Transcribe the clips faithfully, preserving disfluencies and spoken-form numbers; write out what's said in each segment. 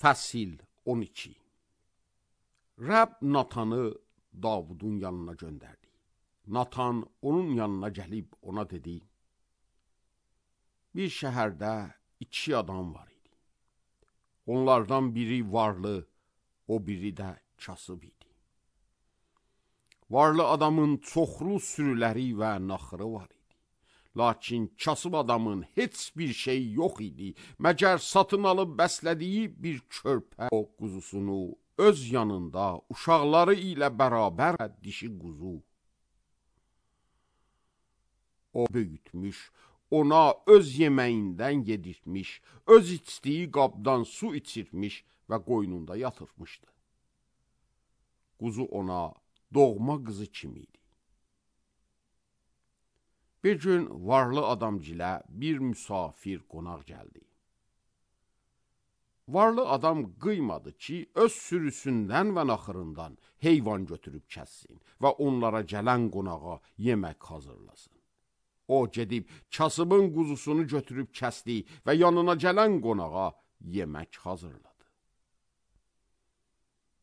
Fəsil on iki. Rəbb Natanı Davudun yanına göndərdi. Natan onun yanına gəlib ona dedi: Bir şəhərdə iki adam var idi. Onlardan biri varlı, o biri də kasıb idi. Varlı adamın çoxlu sürüləri və naxırı var idi. Lakin kasıb adamın heç bir şey yox idi, məgər satın alıb bəslədiyi bir körpə o quzusunu öz yanında uşaqları ilə bərabər dişi quzu. O böyütmüş, ona öz yeməyindən yedirtmiş, öz içdiyi qabdan su içirtmiş və qoynunda yatırtmışdı. Quzu ona doğma qızı kimi idi. Bir gün varlı adamcilə bir müsafir qonaq gəldi. Varlı adam qıymadı ki, öz sürüsündən və naxırından heyvan götürüb kəssin və onlara gələn qonağa yemək hazırlasın. O gedib kasıbın quzusunu götürüb kəsdi və yanına gələn qonağa yemək hazırladı.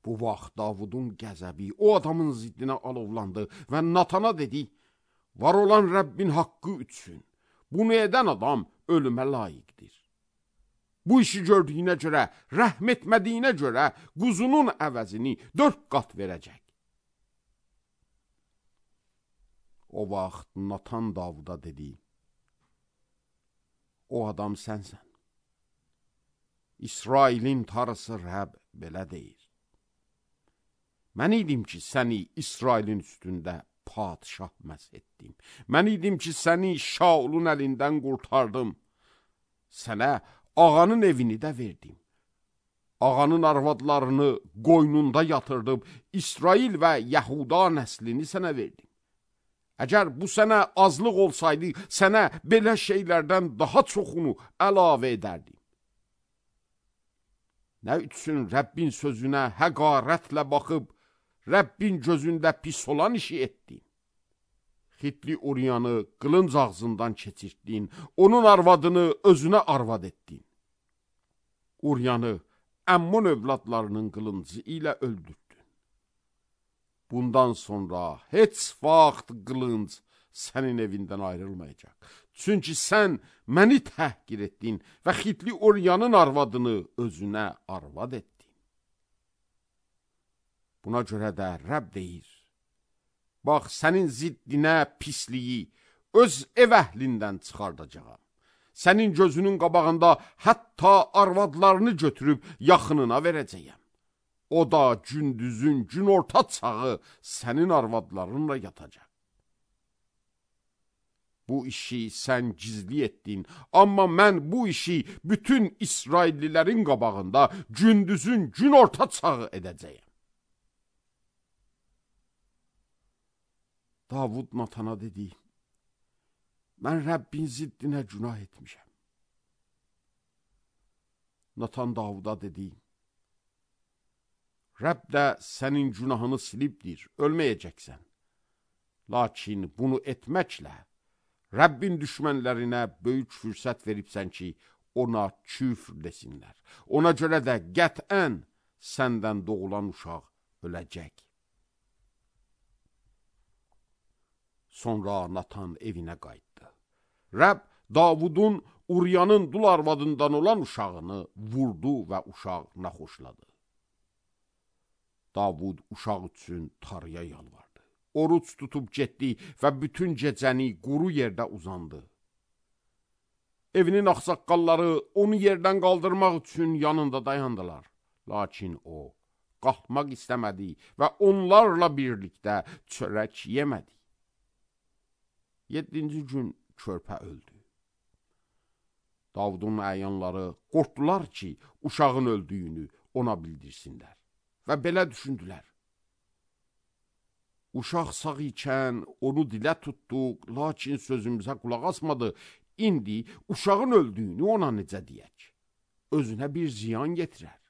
Bu vaxt Davudun qəzəbi o adamın ziddinə alovlandı və Natana dedi: Var olan Rəbbin haqqı üçün bunu edən adam ölümə layiqdir. Bu işi gördüyünə görə, rəhm etmədiyinə görə quzunun əvəzini dörd qat verəcək. O vaxt Natan Davuda dedi: O adam sənsən. İsrailin tarısı Rəbb belə deyir. Mən idim ki, səni İsrailin üstündə padişah məs etdim. Mən idim ki, səni Şaulun əlindən qurtardım. Sənə ağanın evini də verdim. Ağanın arvadlarını qoynunda yatırdım. İsrail və Yahuda nəslini sənə verdim. Əgər bu sənə azlıq olsaydı, sənə belə şeylərdən daha çoxunu əlavə edərdim. Nə üçün Rəbbin sözünə həqarətlə baxıb, Rəbbin gözündə pis olan işi etdin? Xitli Uriyanı qılınc ağzından keçirtdin, onun arvadını özünə arvad etdin. Uriyanı Əmmun övladlarının qılıncı ilə öldürdün. Bundan sonra heç vaxt qılınc sənin evindən ayrılmayacaq. Çünki sən məni təhqir etdin və Xitli Uriyanın arvadını özünə arvad etdin. Buna görə də Rəbb deyir: Bax, sənin ziddinə pisliyi öz ev əhlindən çıxardacağam. Sənin gözünün qabağında hətta arvadlarını götürüb yaxınına verəcəyəm. O da gündüzün günorta çağı sənin arvadlarınla yatacaq. Bu işi sən gizli etdin, amma mən bu işi bütün İsraillilərin qabağında gündüzün günorta çağı edəcəyəm. Davud Natana dedi: Mən Rəbbin ziddinə günah etmişəm. Natan Davuda dedi: Rəbb də sənin günahını silibdir, ölməyəcəksən. Lakin bunu etməklə Rəbbin düşmənlərinə böyük fürsət veribsən ki, ona küfr desinlər. Ona görə də qətən səndən doğulan uşaq öləcək. Sonra Natan evinə qayıtdı. Rəbb Davudun Uriyanın dul arvadından olan uşağını vurdu və uşaq naxoşladı. Davud uşaq üçün Tanrıya yalvardı. Oruç tutub getdi və bütün gecəni quru yerdə uzandı. Evinin ağsaqqalları onu yerdən qaldırmaq üçün yanında dayandılar. Lakin o qalxmaq istəmədi və onlarla birlikdə çörək yemədi. Yeddinci gün körpə öldü. Davudun əyanları qorxdular ki, uşağın öldüyünü ona bildirsinlər və belə düşündülər: Uşaq sağ ikən onu dilə tutduq, lakin sözümüzə qulaq asmadı. İndi uşağın öldüyünü ona necə deyək? Özünə bir ziyan yetirər.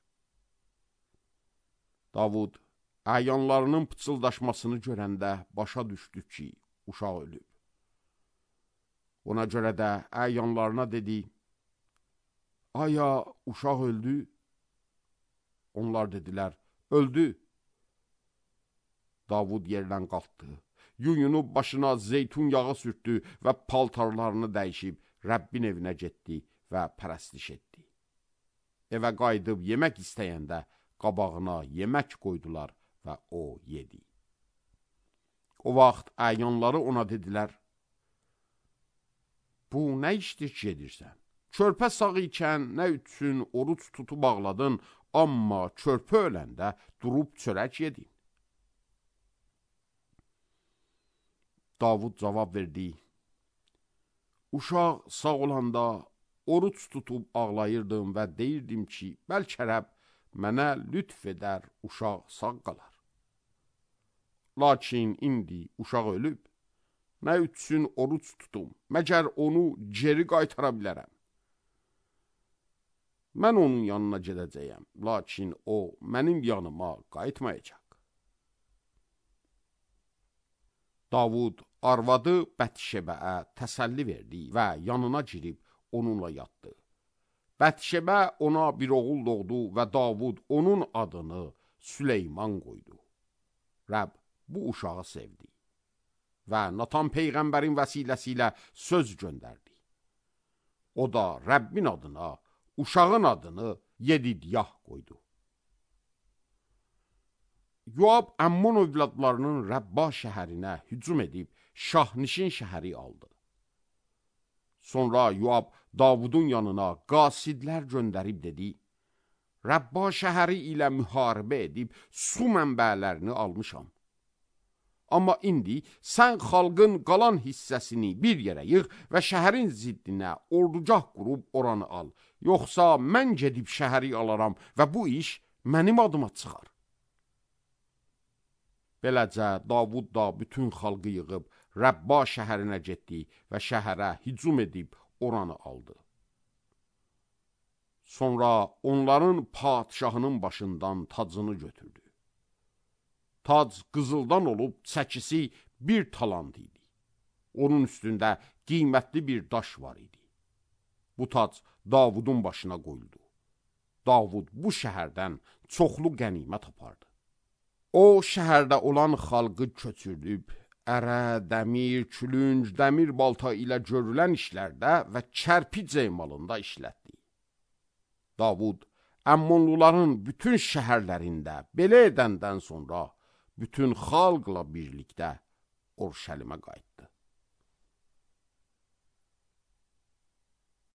Davud əyanlarının pıçıldaşmasını görəndə başa düşdü ki, uşaq ölüb. Ona görə də əyanlarına dedi: Aya uşaq öldü? Onlar dedilər, öldü. Davud yerdən qalxdı, yuyunub başına zeytun yağı sürtdü və paltarlarını dəyişib Rəbbin evinə getdi və pərəstiş etdi. Evə qayıdıb yemək istəyəndə qabağına yemək qoydular və o yedi. O vaxt əyanları ona dedilər, bu nə işdir ki edirsən? Körpə sağ ikən nə üçün oruç tutub ağladın, amma körpə öləndə durub çörək yedin. Davud cavab verdi, uşaq sağ olanda oruç tutub ağlayırdım və deyirdim ki, bəlkə Rəbb mənə lütf edər, uşaq sağ qalar. Lakin indi uşaq ölüb, nə üçün oruç tutum, məgər onu geri qaytara bilərəm. Mən onun yanına gedəcəyəm, lakin o mənim yanıma qayıtmayacaq. Davud arvadı Bətşebəyə təsəlli verdi və yanına girib onunla yatdı. Bətşebə ona bir oğul doğdu və Davud onun adını Süleyman qoydu. Rəbb bu uşağı sevdi və Natan Peyğəmbərin vəsiləsi ilə söz göndərdi. O da Rəbbin adına, uşağın adını Yedidyah qoydu. Yoab Əmmon övladlarının Rəbba şəhərinə hücum edib Şahnişin şəhəri aldı. Sonra Yoab Davudun yanına qasidlər göndərib dedi, Rəbba şəhəri ilə müharibə edib su mənbələrini almışam. Amma indi sən xalqın qalan hissəsini bir yerə yığ və şəhərin ziddinə ordugah qurub oranı al. Yoxsa mən gedib şəhəri alaram və bu iş mənim adıma çıxar. Beləcə Davud da bütün xalqı yığıb Rəbba şəhərinə getdi və şəhərə hücum edib oranı aldı. Sonra onların padşahının başından tacını götürdü. Tac qızıldan olub çəkisi bir talant idi. Onun üstündə qiymətli bir daş var idi. Bu tac Davudun başına qoyuldu. Davud bu şəhərdən çoxlu qənimət apardı. O şəhərdə olan xalqı köçürdüb, ərə, dəmir, külünc, dəmir balta ilə görülən işlərdə və kərpic emalında işlətdi. Davud Əmmonluların bütün şəhərlərində belə edəndən sonra bütün xalqla birlikdə Orşəlimə qayıtdı.